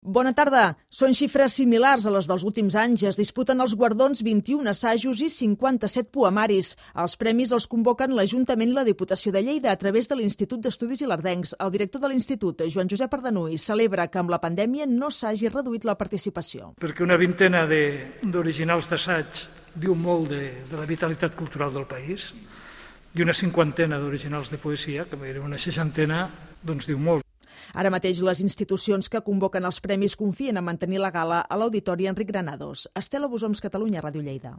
Bona tarda. Són xifres similars a les dels últims anys. Es disputen els guardons 21 assajos i 57 poemaris. Els premis els convoquen l'Ajuntament i la Diputació de Lleida a través de l'Institut d'Estudis Ilerdencs. El director de l'Institut, Joan Josep Ardanuy, celebra que amb la pandèmia no s'hagi reduït la participació. Perquè una vintena d'originals d'assaig diu molt de la vitalitat cultural del país i una cinquantena d'originals de poesia, que era una seixantena, doncs diu molt. Ara mateix les institucions que convoquen els premis confien en mantenir la gala a l'Auditori Enric Granados. Estela Bosoms, Catalunya, Ràdio Lleida.